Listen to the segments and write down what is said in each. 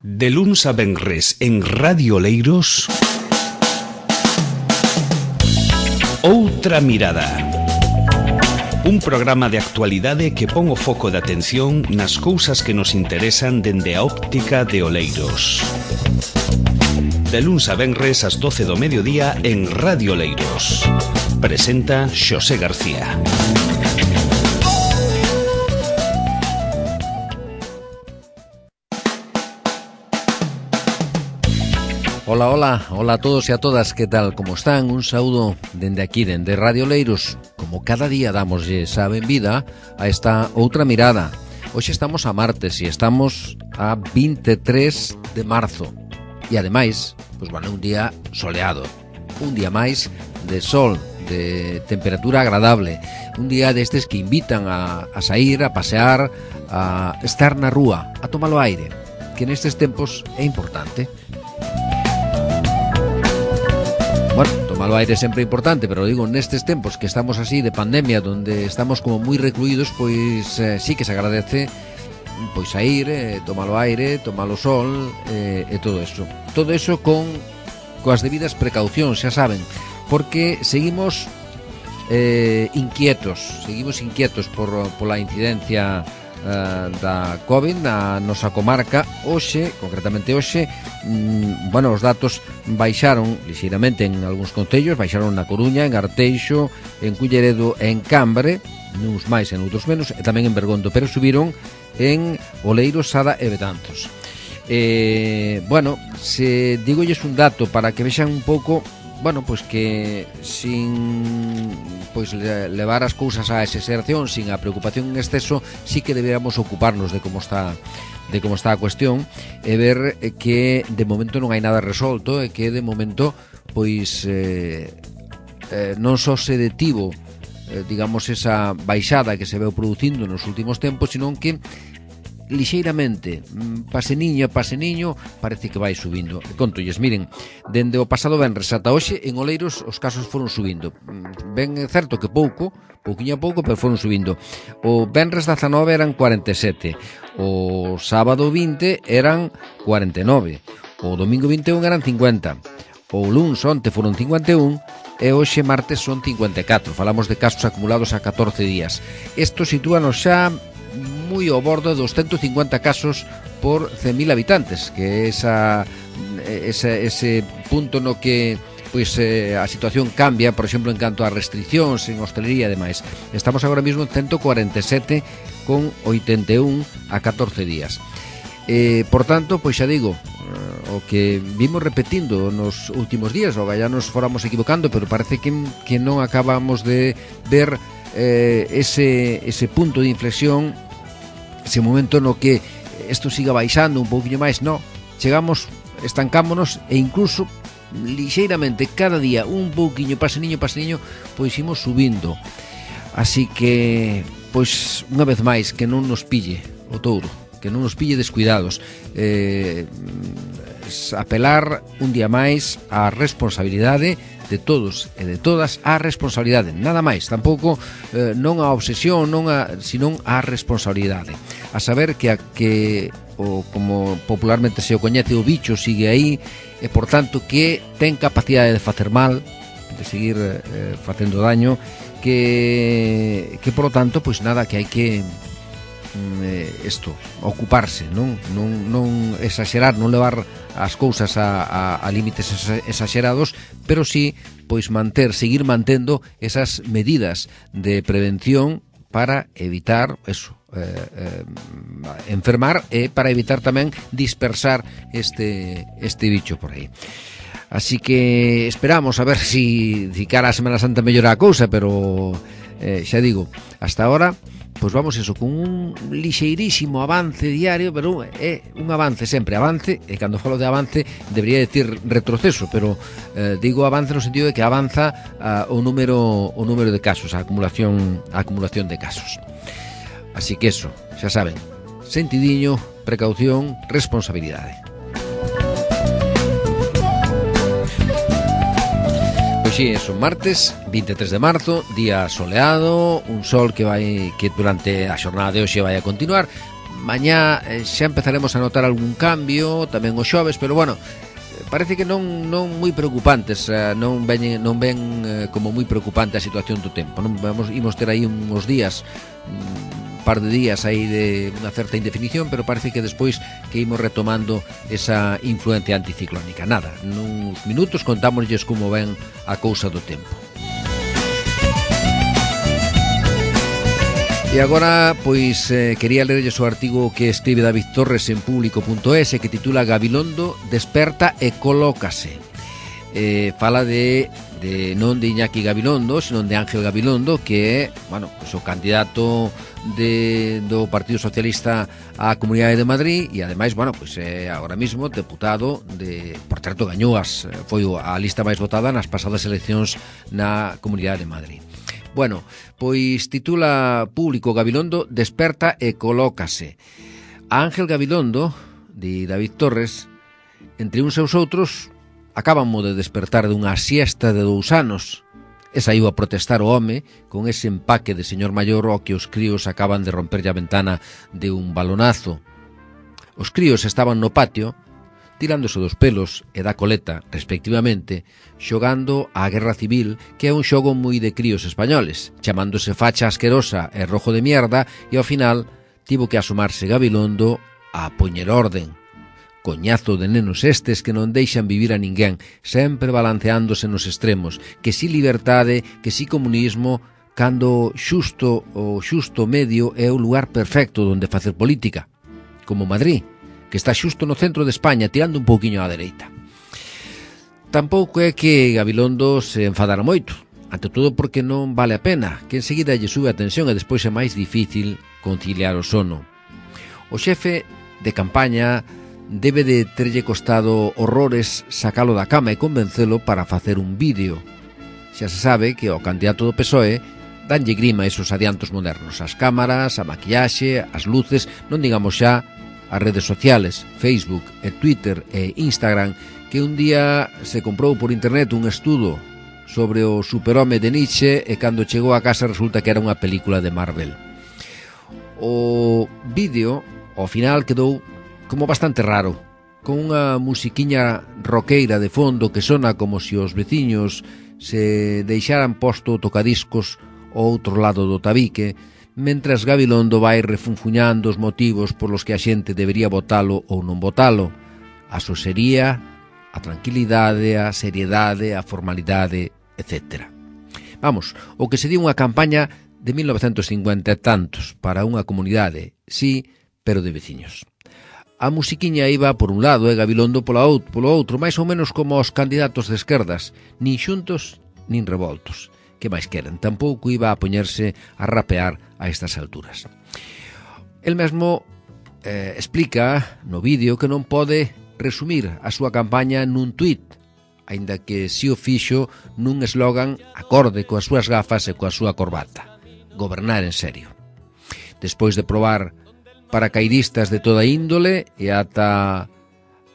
De luns a venres en Radio Oleiros, Outra Mirada. Un programa de actualidade que pon o foco de atención nas cousas que nos interesan dende a óptica de Oleiros. De luns a venres ás 12 do mediodía en Radio Oleiros. Presenta Xosé García. Hola a todos e a todas, que tal, como están? Un saúdo dende aquí, dende Radio Oleiros. Como cada día damoslle a benvida a esta Outra Mirada. Hoxe estamos a martes e estamos a 23 de marzo. E ademais, un día soleado, un día máis de sol, de temperatura agradable, un día destes que invitan a sair, a pasear, a estar na rúa, a tomar o aire, que nestes tempos é importante. Bueno, tomar o aire é sempre importante, pero digo, nestes tempos que estamos así de pandemia, donde estamos como moi recluídos, pois sí que se agradece pois sair, tomar o aire, tomar o sol e todo eso. Todo eso coas debidas precaucións, xa saben, porque seguimos inquietos pola incidencia da COVID na nosa comarca. Hoxe, concretamente hoxe, os datos baixaron lixeiramente en algúns concellos, baixaron na Coruña, en Arteixo, en Culleredo e en Cambre, nuns máis e noutros menos, e tamén en Bergondo, pero subiron en Oleiros, Sada e Betanzos. Se digolles un dato para que vexan un pouco, que sin levar as cousas á exageración, sin a preocupación en exceso, sí que deberíamos ocuparnos de como está a cuestión e ver que de momento non hai nada resolto e que de momento non só se detivo esa baixada que se veu producindo nos últimos tempos, sino que lixeiramente, paseniño a paseniño, parece que vai subindo. E contolles, miren, dende o pasado venres ata hoxe en Oleiros os casos foron subindo. Ben é certo que pouquiño a pouco, pero foron subindo. O venres 19 eran 47, o sábado 20 eran 49, o domingo 21 eran 50, o luns onte foron 51 e hoxe martes son 54. Falamos de casos acumulados a 14 días. Isto sitúanos xa moi ao bordo dos 150 casos por 100.000 habitantes, que é ese punto no que a situación cambia, por exemplo, en canto a restriccións en hostelería e demais. Estamos agora mesmo en 147,81 a 14 días. Por tanto, xa digo, o que vimos repetindo nos últimos días, o ya nos fóramos equivocando, pero parece que non acabamos de ver ese punto de inflexión, ese momento no que isto siga baixando un pouquinho máis. No, chegamos, estancámonos e incluso lixeiramente cada día un pouquiño, paseniño, imos subindo. Así que, unha vez máis, que non nos pille o touro, que non nos pille descuidados. Apelar un día máis á responsabilidade de todos e de todas, á responsabilidade, nada máis, tampouco non a obsesión, senón a responsabilidade, a saber que como popularmente se o coñece, o bicho sigue aí e por tanto que ten capacidade de facer mal, de seguir facendo daño, que por lo tanto, que hai que ocuparse, non exagerar, non levar as cousas a límites exagerados, pero sí seguir mantendo esas medidas de prevención para evitar enfermar e para evitar tamén dispersar este bicho por aí. Así que esperamos a ver si cara a Semana Santa mellora a cousa, pero xa digo, hasta ahora vamos con un lixeirísimo avance diario, pero é un avance, sempre avance, e cando falo de avance debería decir retroceso, pero digo avance no sentido de que avanza o número de casos, a acumulación de casos. Así que eso, xa saben, sentidiño, precaución, responsabilidade. Sí, es un martes 23 de marzo, día soleado, un sol que durante a xornada de hoxe vai a continuar, mañá xa empezaremos a notar algún cambio, tamén o xoves, pero bueno, parece que non moi preocupantes, non ven como moi preocupante a situación do tempo. Non imos ter aí uns días, par de días aí de unha certa indefinición, pero parece que despois que imos retomando esa influencia anticiclónica. Nada, nuns minutos contámoslles como ven a cousa do tempo. E agora, pois, quería lerlles o artigo que escribe David Torres en público.es que titula Gabilondo desperta e colócase. Fala de non de Iñaki Gabilondo, senón de Ángel Gabilondo, que é, bueno, pues, o candidato do Partido Socialista á Comunidade de Madrid e ademais, bueno, pues é agora mismo deputado por certo, gañou foi a lista máis votada nas pasadas eleccións na Comunidade de Madrid. Bueno, pois titula Público Gabilondo desperta e colócase. A Ángel Gabilondo, de David Torres, entre uns e os outros, acabamos de despertar dunha siesta de 2 anos e saiu a protestar o home con ese empaque de señor maior ao que os críos acaban de romperlle a ventana de un balonazo. Os críos estaban no patio, tirándose dos pelos e da coleta, respectivamente, xogando á Guerra Civil, que é un xogo moi de críos españoles, chamándose facha asquerosa e rojo de mierda, e ao final tivo que asomarse Gabilondo a poñer orden. Coñazo de nenos estes que non deixan vivir a ninguén, sempre balanceándose nos extremos, que si liberdade, que si comunismo, cando o xusto medio é o lugar perfecto onde facer política, como Madrid, que está xusto no centro de España, tirando un pouquiño á dereita. Tampouco é que Gabilondo se enfadara moito, ante todo porque non vale a pena, que enseguida lle sube a tensión e despois é máis difícil conciliar o sono. O xefe de campaña debe de terlle costado horrores sacalo da cama e convencelo para facer un vídeo. Xa se sabe que ao candidato do PSOE danlle grima esos adiantos modernos, as cámaras, a maquillaxe, as luces, non digamos xa as redes sociales, Facebook e Twitter e Instagram, que un día se comprou por internet un estudo sobre o superhome de Nietzsche e cando chegou a casa resulta que era unha película de Marvel. O vídeo, ao final, quedou como bastante raro, con unha musiquiña roqueira de fondo que sona como se os veciños se deixaran posto o tocadiscos ao outro lado do tabique, mentras Gabilondo vai refunfuñando os motivos polos que a xente debería votalo ou non votalo, a sosería, a tranquilidade, a seriedade, a formalidade, etc. Vamos, o que se di unha campaña de 1950 e tantos para unha comunidade, sí, pero de veciños. A musiquiña iba por un lado e Gabilondo polo outro, máis ou menos como os candidatos de esquerdas, nin xuntos nin revoltos. Que máis queren? Tampouco iba a poñerse a rapear a estas alturas. El mesmo explica no vídeo que non pode resumir a súa campaña nun tuit, aínda que si o fixo nun eslogan acorde coas súas gafas e coa súa corbata. Gobernar en serio. Despois de probar paracaidistas de toda índole e ata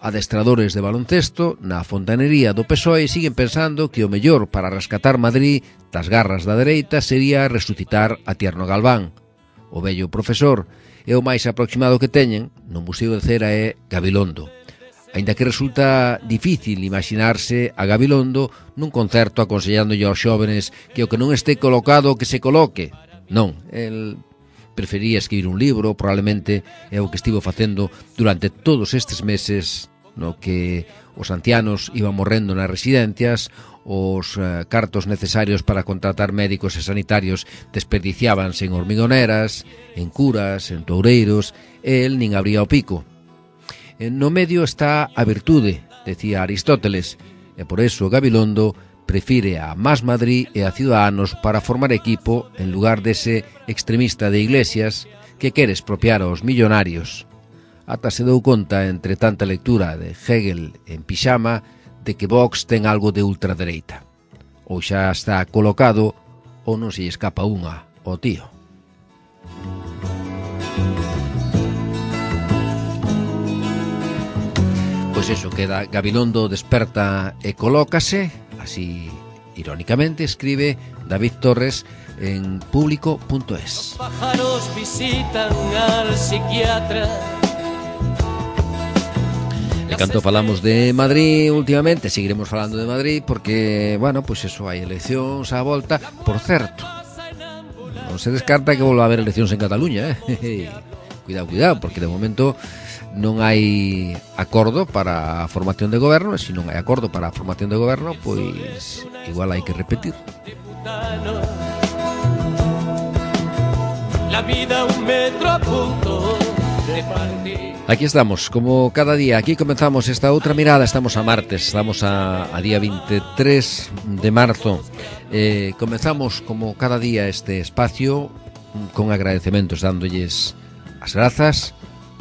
adestradores de baloncesto na fontanería do PSOE siguen pensando que o mellor para rescatar Madrid das garras da dereita sería resucitar a Tierno Galván. O vello profesor é o máis aproximado que teñen no Museo de Cera é Gabilondo. Aínda que resulta difícil imaginarse a Gabilondo nun concerto aconsellándolle aos xóvenes que o que non este colocado que se coloque. Non, el prefería escribir un libro, probablemente é o que estivo facendo durante todos estes meses no que os ancianos iban morrendo nas residencias, os cartos necesarios para contratar médicos e sanitarios desperdiciábanse en hormigoneras, en curas, en toureiros, e el nin abría o pico. No medio está a virtude, decía Aristóteles, e por eso Gabilondo prefire a Más Madrid e a Ciudadanos para formar equipo en lugar dese extremista de Iglesias que quere expropiar aos millonarios. Ata se dou conta, entre tanta lectura de Hegel en pixama, de que Vox ten algo de ultradereita. Ou xa está colocado ou non se escapa unha ao tío. Pois eso, queda Gabilondo desperta e colócase, así irónicamente escribe David Torres en público.es. Los pájaros visitan al psiquiatra. E canto falamos de Madrid últimamente, seguiremos falando de Madrid porque, bueno, pois eso, hai eleccións á volta. Por certo, non se descarta que volva a haber eleccións en Cataluña, Cuidado, porque de momento non hai acordo para a formación de goberno, e se non hai acordo para a formación de goberno, pois igual hai que repetir. La vida un metro a punto de partir. Aquí estamos, como cada día, aquí comenzamos esta outra mirada, estamos a martes, estamos a día 23 de marzo. Comenzamos como cada día este espacio con agradecementos, dándolles as grazas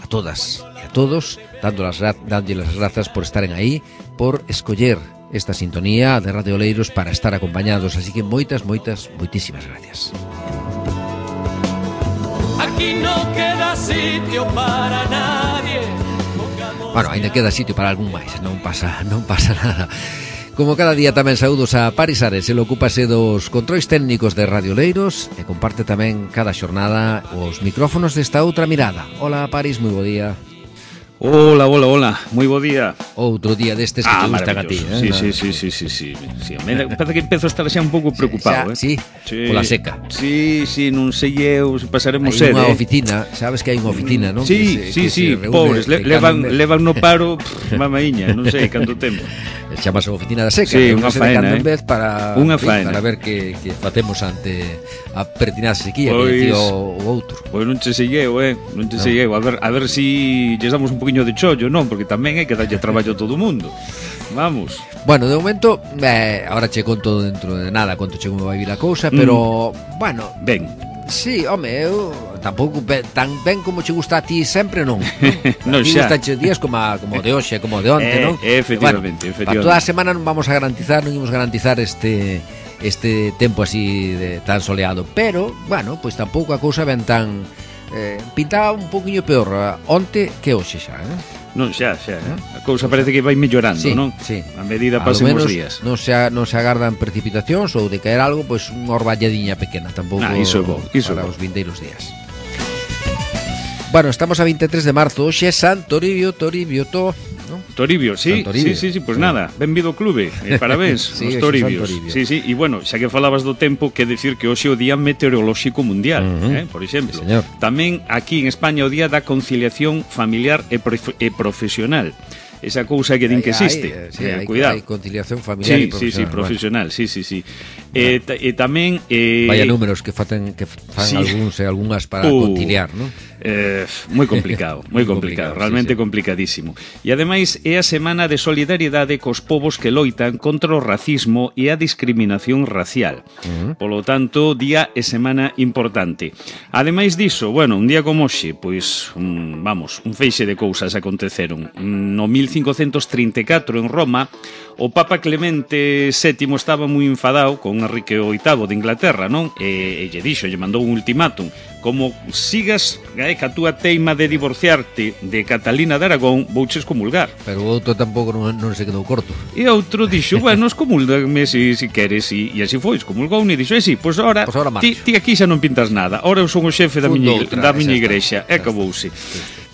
a todas e a todos, dándoles as grazas por estaren aí, por escoller esta sintonía de Radio Oleiros para estar acompañados, así que moitísimas gracias. Aquí no queda sitio para nadie. Bueno, ainda queda sitio para algún máis, non pasa nada. Como cada día tamén saúdos a Paris Ares, el ocúpase dos controis técnicos de Radio Oleiros e comparte tamén cada xornada os micrófonos desta outra mirada. Hola Paris, moi bo día. Hola, moi bo día. Outro día destes que te gustan a ti, Sí. Me parece que empezo a estar xa un pouco preocupado, Sí, pola seca. Sí, non sei eu se pasaremos sede. Hai unha oficina, sabes que hai unha oficina, non? Sí, pobres, levan no paro, mamaiña, non sei canto tempo. Chamase a oficina da seca, sí, unha faena, en vez para ver que facemos ante a pertinaz sequía que decía o outro. Pois non che segueu, a ver si lles damos un poquinho de chollo, non? Porque tamén hai que darlle traballo a todo o mundo. Vamos. Bueno, de momento, ahora che conto dentro de nada conto che como vai vir a cousa, pero, bueno, ben. Sí, home, eu tampouco tan ben como che gusta a ti sempre, non? Non xa. Gusta che días como de hoxe, como de onte, non? Efectivamente. Para toda a semana non vamos a garantizar, non imos garantizar este tempo así de tan soleado, pero, bueno, pois tampouco a cousa ben tan pintaba un poquinho peor onte que hoxe xa, Non, xa. A cousa parece que vai mellorando, non? Sí. A medida pasen os días. Non se agardan precipitacións ou de caer algo, pois unha orvalladiña pequena, tampouco iso é bo, para os vindeiros días. Bueno, estamos a 23 de marzo, hoxe é San Toribio, ¿no? Toribio, sí, pues nada, benvido ao clube, parabéns, sí, os Toribios. Sí, e bueno, xa que falabas do tempo, que decir que hoxe é o Día Meteorolóxico Mundial, por exemplo. Sí, tamén aquí en España o Día da Conciliación Familiar e Profesional. Esa cousa que din que existe. Cuidado. Hai conciliación familiar e profesional. Sí, profesional, sí. E tamén vaya números que fan algúns e algunhas para conciliar, non? Moi complicado, realmente complicadísimo. E ademais é a semana de solidariedade cos povos que loitan contra o racismo e a discriminación racial. Polo tanto, día e semana importante. Ademais diso, bueno, un día como hoxe, pois, un feixe de cousas aconteceron. No 1534 en Roma, o Papa Clemente VII estaba moi enfadado con Enrique VIII de Inglaterra, non? E lle mandou un ultimátum. Como sigas ca túa teima de divorciarte de Catalina de Aragón, vouches comulgar. Pero o outro tampouco non se quedou corto. E outro dixo, bueno, comulgame se queres. E así foi, comulgou e dixo, sí, pois ahora ti aquí xa non pintas nada. Ahora eu son o xefe da miña igrexa. E acabouse.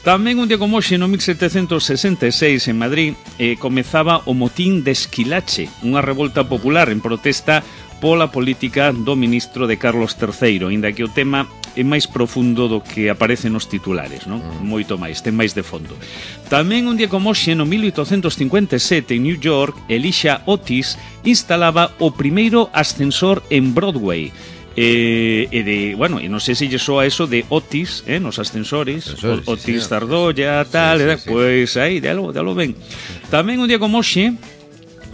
Tamén un día como hoxe, no 1766, en Madrid, comezaba o motín de Esquilache, unha revolta popular en protesta pola política do ministro de Carlos III, inda que o tema é máis profundo do que aparece nos titulares, non? Moito máis, ten máis de fondo. Tamén un día como hoxe, no 1857, en New York, Elisha Otis instalaba o primeiro ascensor en Broadway. E non sei se lle soa eso de Otis, nos ascensores, Otis Tardolla, tal, pois aí, dalo ben. Tamén un día como hoxe,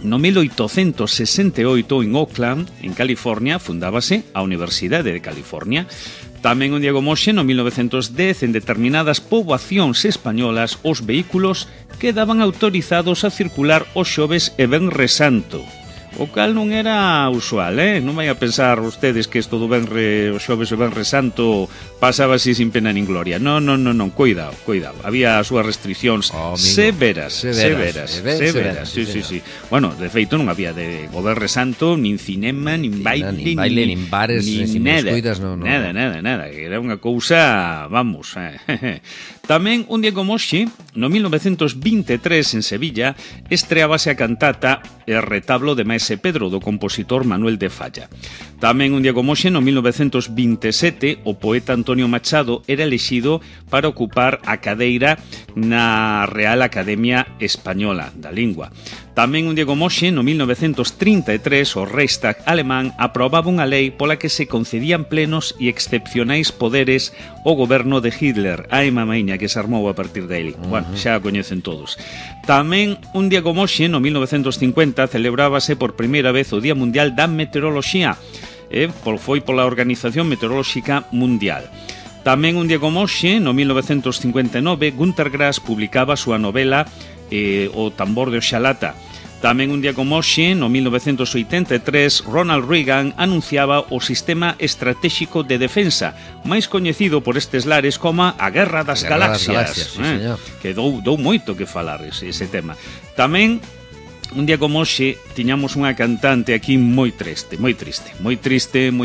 no 1868, en Oakland, en California, fundábase a Universidade de California. Tamén un día como hoxe, no 1910, en determinadas poboacións españolas, os vehículos quedaban autorizados a circular os xoves e venres santo. o cal non era usual, non vai a pensar ustedes que isto do Venre, o xoves e Venre Santo pasaba así sin pena nin gloria. Non, cuidado. Había as súas restriccións severas. Sí. Bueno, de feito non había de o Venre Santo nin cinema, nin baile, nin bares, nin descuidas, nada, era unha cousa, vamos. Tamén un día como hoxe, no 1923 en Sevilla, estreábase a cantata El retablo de Maese Pedro, do compositor Manuel de Falla. Tamén un día como hoxe, no 1927, o poeta Antonio Machado era elexido para ocupar a cadeira na Real Academia Española da Lingua. Tamén un día como hoxe, no 1933, o Reichstag alemán aprobaba unha lei pola que se concedían plenos e excepcionais poderes ao goberno de Hitler. Ai, mamaiña, que se armou a partir dele. Bueno, xa a coñecen todos. Tamén un día como hoxe, no 1950, celebrábase por primeira vez o Día Mundial da Meteoroloxía. Foi pola Organización Meteorolóxica Mundial. Tamén un día como hoxe, no 1959, Günter Grass publicaba a súa novela O tambor de Oxalata. Tamén un día como hoxe, no 1983, Ronald Reagan anunciaba o Sistema Estratégico de Defensa, máis coñecido por estes lares como a Guerra das Galaxias, que dou moito que falar ese tema. Tamén un día como hoxe tiñamos unha cantante aquí moi triste, moi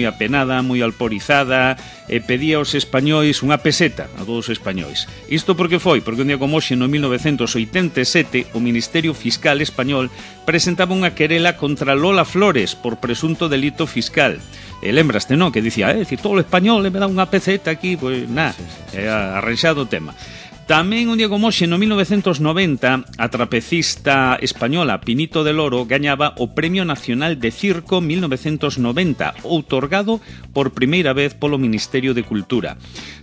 apenada, moi alporizada, e pedía aos españois unha peseta a todos os españois. Isto porque foi? Porque un día como hoxe, no 1987, o Ministerio Fiscal español presentaba unha querela contra Lola Flores por presunto delito fiscal. E lembraste, non? Que dicía, todo o español me dá unha peseta aquí, pois nada, arranxado o tema. Tamén un día como hoxe, no 1990, a trapecista española Pinito del Oro gañaba o Premio Nacional de Circo 1990, outorgado por primeira vez polo Ministerio de Cultura.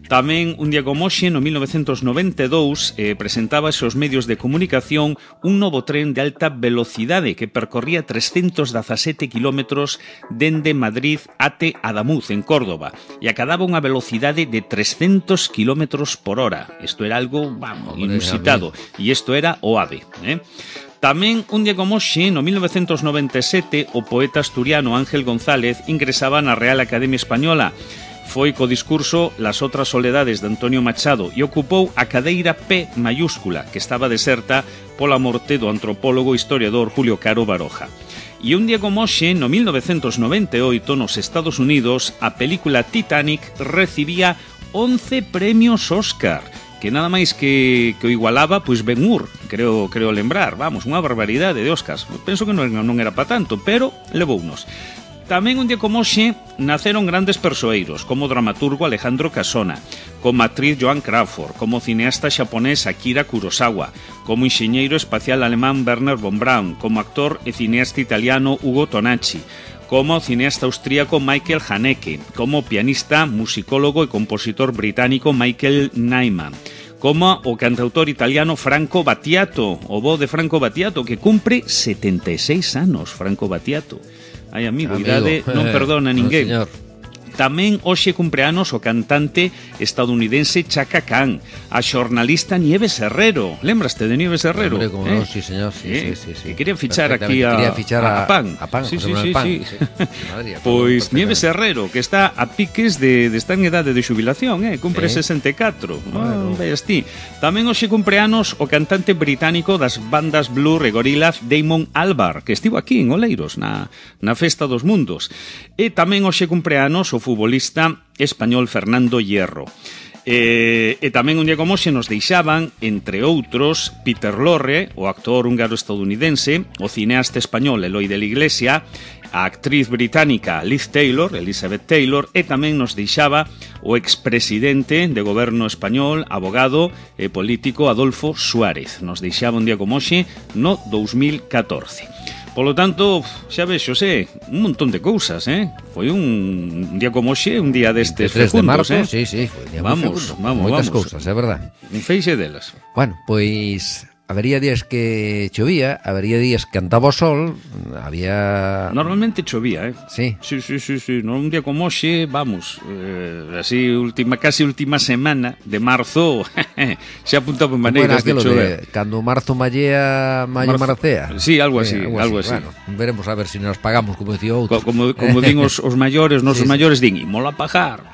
Tamén un día como hoxe, no 1992, presentábase aos medios de comunicación un novo tren de alta velocidade que percorría 317 kilómetros dende Madrid até Adamuz, en Córdoba, e acadaba unha velocidade de 300 kilómetros por hora. Isto era algo, inusitado, e isto era o AVE, Tamén, un día como hoxe, no 1997, o poeta asturiano Ángel González ingresaba na Real Academia Española. Foi co discurso Las outras soledades de Antonio Machado e ocupou a cadeira P mayúscula, que estaba deserta pola morte do antropólogo e historiador Julio Caro Baroja. E un día como hoxe, no 1998, nos Estados Unidos, a película Titanic recibía 11 premios Óscar, que nada máis que o igualaba, pois Ben-Hur, creo lembrar, vamos, unha barbaridade de Óscars. Penso que non era para tanto, pero levounos. Tamén un día como hoxe naceron grandes persoeiros, como o dramaturgo Alejandro Casona, como a actriz Joan Crawford, como o cineasta xaponés Akira Kurosawa, como o enxeñeiro espacial alemán Werner von Braun, como actor e cineasta italiano Ugo Tonacci, como o cineasta austríaco Michael Haneke, como o pianista, musicólogo e compositor británico Michael Nyman, como o cantautor italiano Franco Battiato, o bo de Franco Battiato, que cumpre 76 anos, Franco Battiato. Ai, amigo, idade non perdona ninguén. Tamén hoxe cumpleanos o cantante estadounidense Chaka Khan, a xornalista Nieves Herrero. Lembraste de Nieves Herrero? Hombre, como non, sí, señor, sí. Que quería fichar aquí a PAN. Sí. Pois Nieves Herrero, que está a piques de estar en idade de xubilación, cumpre 64. Veas ti. Tamén hoxe cumpleanos o cantante británico das bandas Blur e Gorillaz, Damon Albarn, que estivo aquí en Oleiros, na Festa dos Mundos. E tamén hoxe cumpleanos o futbolista español Fernando Hierro. E tamén un día como hoxe nos deixaban, entre outros, Peter Lorre, o actor húngaro-estadounidense, o cineasta español Eloi de la Iglesia, a actriz británica Liz Taylor, Elizabeth Taylor, e tamén nos deixaba o expresidente de goberno español, abogado e político Adolfo Suárez. Nos deixaba un día como hoxe no 2014. Polo tanto, xa vexo, un montón de cousas, Foi un día como hoxe, un día destes fecundos, Sí, foi un día moi fecundo. Moitas cousas, é verdad. Un feixe delas. Bueno, pois habería días que chovía, habería días que andaba o sol, había... Normalmente chovía, Sí. Sí. Un día como hoxe, vamos, así casi última semana de marzo, xa apuntaba maneiras de chover. Cando marzo mallea, maio marcea. Sí, algo así. Bueno, veremos a ver se nos pagamos, como decía outro. Como din os maiores, nosos maiores din, imola pagar,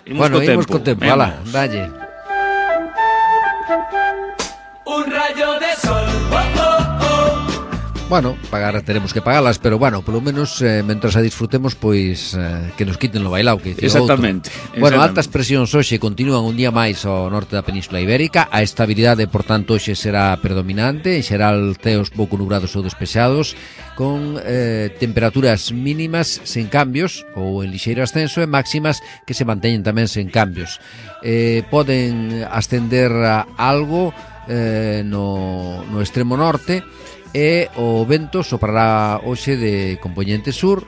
Bueno, imos co tempo, ala, dalle. Un rayo de sol, Bueno, pagar teremos que pagalas, pero bueno, polo menos mentras a disfrutemos, pois que nos quiten lo bailao, que dicía Exactamente. Bueno, altas presións hoxe continúan un día máis ao norte da Península Ibérica. A estabilidade, por tanto, hoxe será predominante. En xeral, ceos pouco nubrados ou despexados, con temperaturas mínimas sen cambios ou en lixeiro ascenso, e máximas que se manteñen tamén sen cambios. Poden ascender algo no extremo norte, e o vento soprará hoxe de compoñente sur,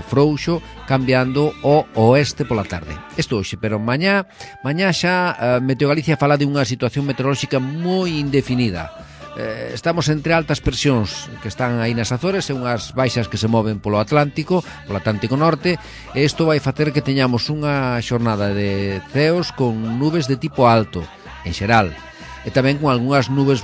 frouxo, cambiando o oeste pola tarde. Isto hoxe, pero mañá xa Meteo Galicia fala de unha situación meteorolóxica moi indefinida. Estamos entre altas presións que están aí nas Azores e unhas baixas que se moven polo Atlántico Norte, e isto vai facer que teñamos unha xornada de ceos con nubes de tipo alto, en xeral, e tamén con algunhas nubes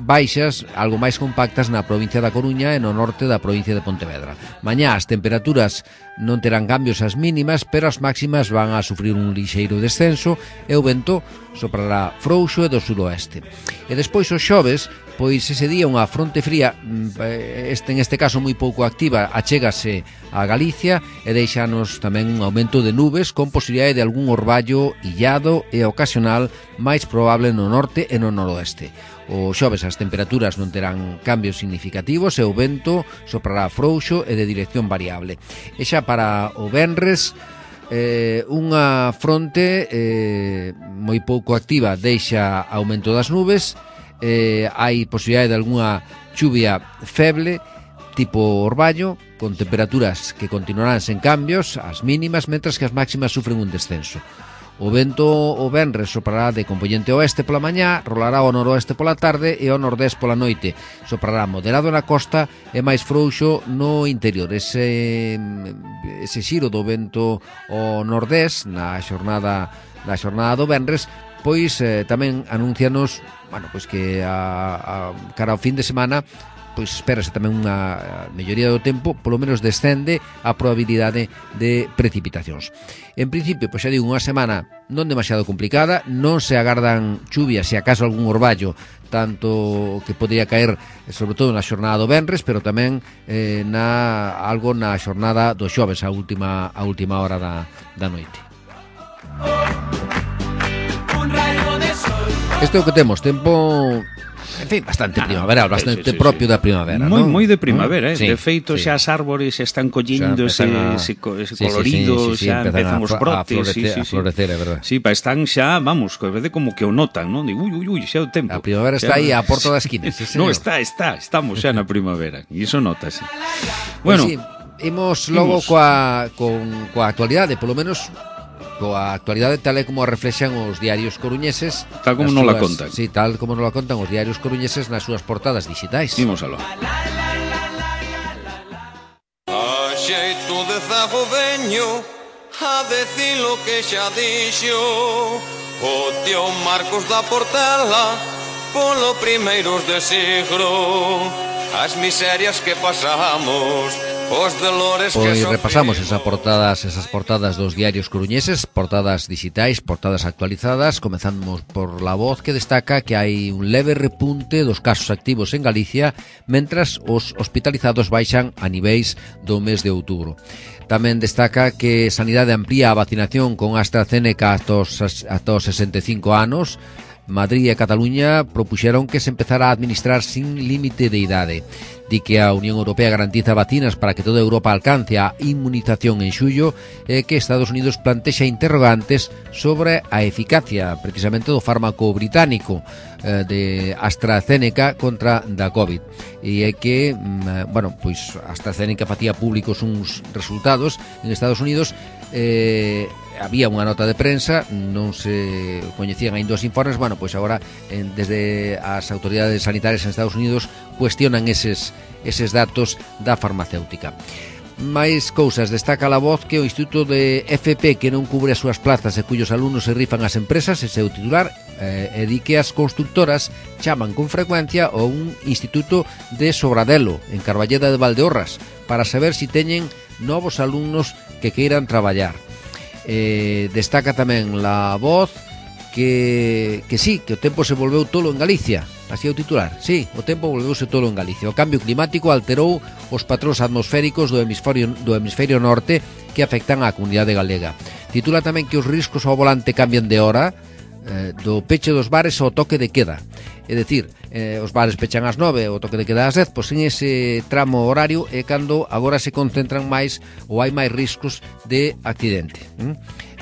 baixas, algo máis compactas na provincia da Coruña e no norte da provincia de Pontevedra. Mañá as temperaturas non terán cambios as mínimas, pero as máximas van a sufrir un lixeiro descenso e o vento soprará frouxo e do suroeste. E despois os xoves, pois ese día unha fronte fría, en este caso moi pouco activa, achégase a Galicia e deixanos tamén un aumento de nubes con posibilidade de algún orballo illado e ocasional máis probable no norte e no noroeste. O xoves as temperaturas non terán cambios significativos e o vento soprará frouxo e de dirección variable. E xa para o venres, unha fronte moi pouco activa deixa aumento das nubes, hai posibilidade de algunha chuvia feble tipo orballo, con temperaturas que continuarán sen cambios, as mínimas, mentras que as máximas sufren un descenso. O vento o venres soprará de compoñente oeste pola mañá, rolará ao noroeste pola tarde e ao nordés pola noite. Soprará moderado na costa e máis frouxo no interior. Ese xiro do vento ao nordés na xornada do venres, pois tamén anuncianos, bueno, pois que cara ao fin de semana pois espérase tamén unha melloría do tempo, polo menos descende a probabilidade de precipitacións. En principio, pois xa digo, unha semana non demasiado complicada, non se agardan chuvias, se acaso algún orballo, tanto que podría caer sobre todo na xornada do venres, pero tamén algo na xornada do xoves, a última hora da noite. Isto é o que temos, tempo... En fin, bastante primaveral, bastante propio da primavera, non? Moi de primavera, Sí, de feito sí. xa as árbores xa están collendo ese colorido, xa empezan os brotes, a florecer, é verdade. Sí, están xa, vamos, que vede como que o notan, non? Digo, ui, xa o tempo. A primavera está aí á porta da esquina, sí, señor. Non, estamos xa na primavera, e iso notase. Bueno, Bueno, imos logo coa actualidade, polo menos coa actualidade tal e como a reflexan os diarios coruñeses, tal como nos la contan. Sí, tal como nos la contan os diarios coruñeses nas súas portadas digitais. Imos aló. A xeito de zago veño a decir lo que xa dixo o tío Marcos da Portela polo primeiros de siglo, as miserias que pasamos, os dolores que Pois sofrimos. repasamos esas portadas dos diarios coruñeses, portadas digitais, portadas actualizadas. Comezamos por La Voz, que destaca que hai un leve repunte dos casos activos en Galicia, mentras os hospitalizados baixan a niveis do mes de outubro. Tamén destaca que Sanidade amplía a vacinación con AstraZeneca ata os 65 anos. Madrid e Cataluña propuxeron que se empezara a administrar sin límite de idade. Di que a Unión Europea garantiza vacinas para que toda Europa alcance a inmunización en xullo e que Estados Unidos plantexa interrogantes sobre a eficacia precisamente do fármaco británico de AstraZeneca contra da COVID. E é que, bueno, pois AstraZeneca facía públicos uns resultados en Estados Unidos, había unha nota de prensa, non se coñecían aínda os informes. Bueno, pois agora desde as autoridades sanitarias en Estados Unidos cuestionan eses datos da farmacéutica. Máis cousas, destaca La Voz que o Instituto de FP que non cubre as súas plazas e cuyos alumnos se rifan as empresas, ese é o titular, e di que as constructoras chaman con frecuencia a un instituto de Sobradelo, en Carballeda de Valdeorras, para saber si teñen novos alumnos que queiran traballar. Destaca tamén La Voz que sí, que o tempo se volveu tolo en Galicia. Así é o titular. Sí, o tempo volveuse tolo en Galicia. O cambio climático alterou os patróns atmosféricos do hemisferio norte que afectan á comunidade galega. Titula tamén que os riscos ao volante cambian de hora, do peche dos bares ao toque de queda. É dicir, os bares pechan ás 9, o toque de queda ás 10, pois en ese tramo horario é cando agora se concentran máis ou hai máis riscos de accidente.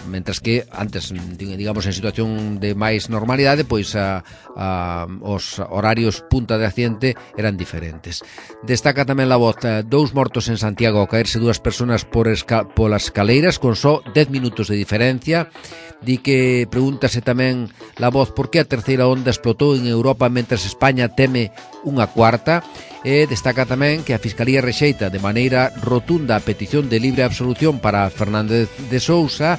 Mentras que antes, digamos, en situación de máis normalidade, pois os horarios punta de accidente eran diferentes. Destaca tamén La Voz 2 mortos en Santiago ao caerse 2 persoas polas escaleiras con só 10 minutos de diferencia. Di que pregúntase tamén La Voz por que a terceira onda explotou en Europa mentras España teme unha cuarta. E destaca tamén que a Fiscalía rexeita de maneira rotunda a petición de libre absolución para Fernández de Sousa,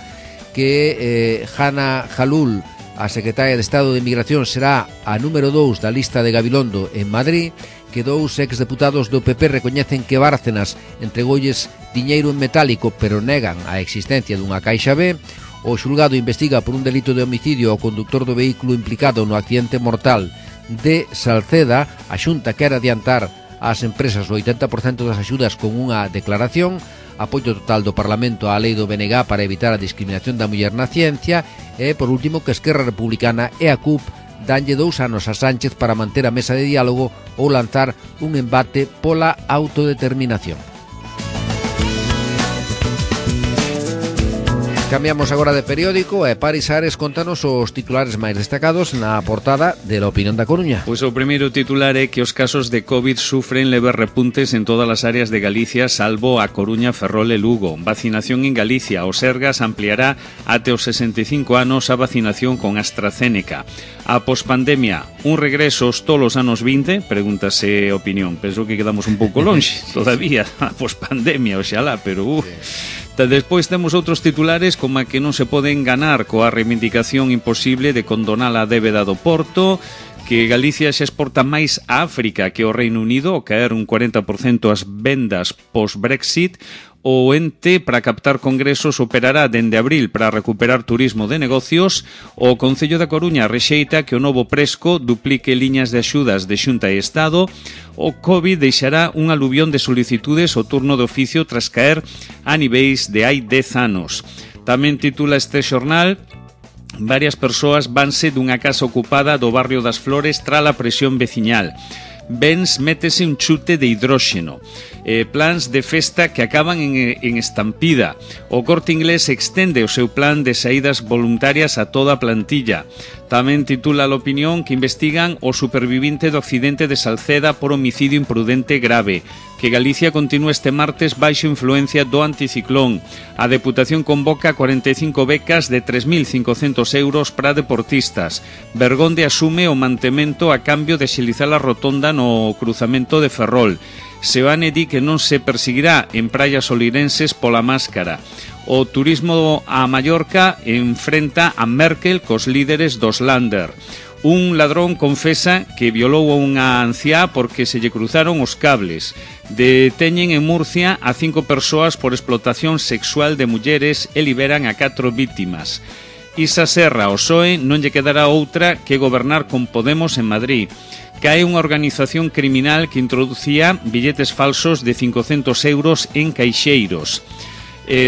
que Hanna Jalul, a secretaria de Estado de Inmigración, será a número 2 da lista de Gabilondo en Madrid, que 2 exdeputados do PP recoñecen que Bárcenas entregolles diñeiro en metálico pero negan a existencia dunha caixa B. O xulgado investiga por un delito de homicidio ao conductor do vehículo implicado no accidente mortal de Salceda. A Xunta quere adiantar ás empresas o 80% das axudas con unha declaración. Apoio total do Parlamento á lei do BNG para evitar a discriminación da muller na ciencia. E, por último, que Esquerra Republicana e a CUP danlle 2 anos a Sánchez para manter a mesa de diálogo ou lanzar un embate pola autodeterminación. Cambiamos agora de periódico e Paris Ares contanos os titulares máis destacados na portada de La Opinión da Coruña. Pois o primeiro titular é que os casos de COVID sufren leves repuntes en todas as áreas de Galicia, salvo a Coruña, Ferrol e Lugo. Vacinación en Galicia. O Sergas ampliará até os 65 anos a vacinación con AstraZeneca. A pospandemia, un regreso aos tolos anos 20? Pregúntase Opinión. Penso que quedamos un pouco longe todavía. A pospandemia, oxalá, pero... Despois temos outros titulares como a que non se pode enganar coa reivindicación imposible de condonar a débeda do Porto, que Galicia xa exporta máis a África que o Reino Unido, ao caer un 40% as vendas post-Brexit. O ente para captar congresos operará dende abril para recuperar turismo de negocios. O Concello da Coruña rexeita que o novo Presco duplique liñas de axudas de Xunta e Estado. O COVID deixará un aluvión de solicitudes ao turno de oficio tras caer a niveis de hai 10 anos. Tamén titula este xornal: varias persoas vanse dunha casa ocupada do barrio das Flores tras a presión veciñal. Benz métese un chute de hidróxeno. Plans de festa que acaban en estampida. O Corte Inglés extende o seu plan de saídas voluntarias a toda a plantilla. Tamén titula a Opinión que investigan o supervivinte do accidente de Salceda por homicidio imprudente grave. Que Galicia continúa este martes baixo influencia do anticiclón. A Deputación convoca 45 becas de 3.500 euros para deportistas. Bergonde asume o mantemento a cambio de xelizar a rotonda no cruzamento de Ferrol. Seoane di que non se perseguirá en praias olirenses pola máscara. O turismo a Mallorca enfrenta a Merkel cos líderes dos Länder. Un ladrón confesa que violou a unha anciá porque se lle cruzaron os cables. Deteñen en Murcia a 5 persoas por explotación sexual de mulleres e liberan a 4 vítimas. Isa Serra, o PSOE non lle quedará outra que gobernar con Podemos en Madrid. Cae unha organización criminal que introducía billetes falsos de 500 euros en caixeiros.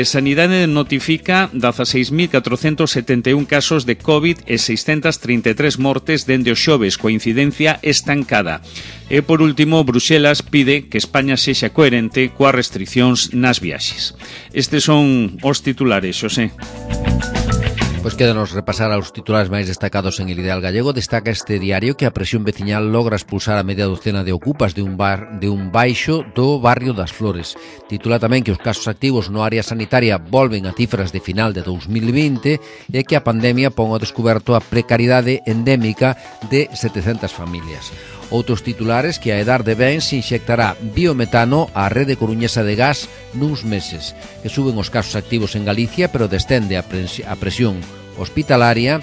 Sanidade notifica 16.471 casos de COVID e 633 mortes dende o xoves, coa incidencia estancada. E, por último, Bruxelas pide que España sexa coherente coas restriccións nas viaxes. Estes son os titulares, Xosé. Pois quédanos repasar aos titulares máis destacados en El Ideal Gallego. Destaca este diario que a presión veciñal logra expulsar a media docena de ocupas de un baixo do barrio das Flores. Titula tamén que os casos activos no área sanitaria volven a cifras de final de 2020 e que a pandemia pon ao descoberto a precariedade endémica de 700 familias. Outros titulares que a Edar de Bens inyectará biometano á rede coruñesa de gas nuns meses, que suben os casos activos en Galicia, pero descende a presión hospitalaria,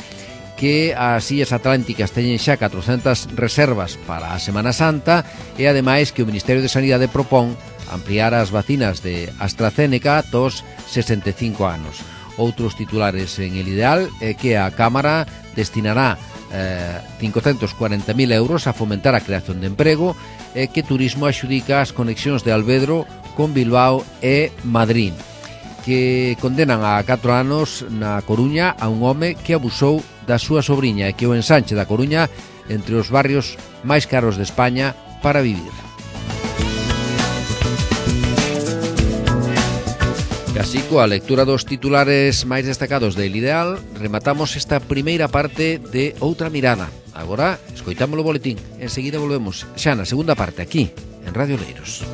que as Illas Atlánticas teñen xa 400 reservas para a Semana Santa e ademais que o Ministerio de Sanidade propón ampliar as vacinas de AstraZeneca aos 65 anos. Outros titulares en El Ideal é que a Cámara destinará 540.000 euros a fomentar a creación de emprego e que Turismo axudica as conexións de Alvedro con Bilbao e Madrid, que condenan a 4 anos na Coruña a un home que abusou da súa sobriña e que o ensanche da Coruña entre os barrios máis caros de España para vivir. E así, coa lectura dos titulares máis destacados de El Ideal, rematamos esta primeira parte de Outra Mirada. Agora, escoitamos o boletín. Enseguida volvemos xa na segunda parte, aquí, en Radio Oleiros.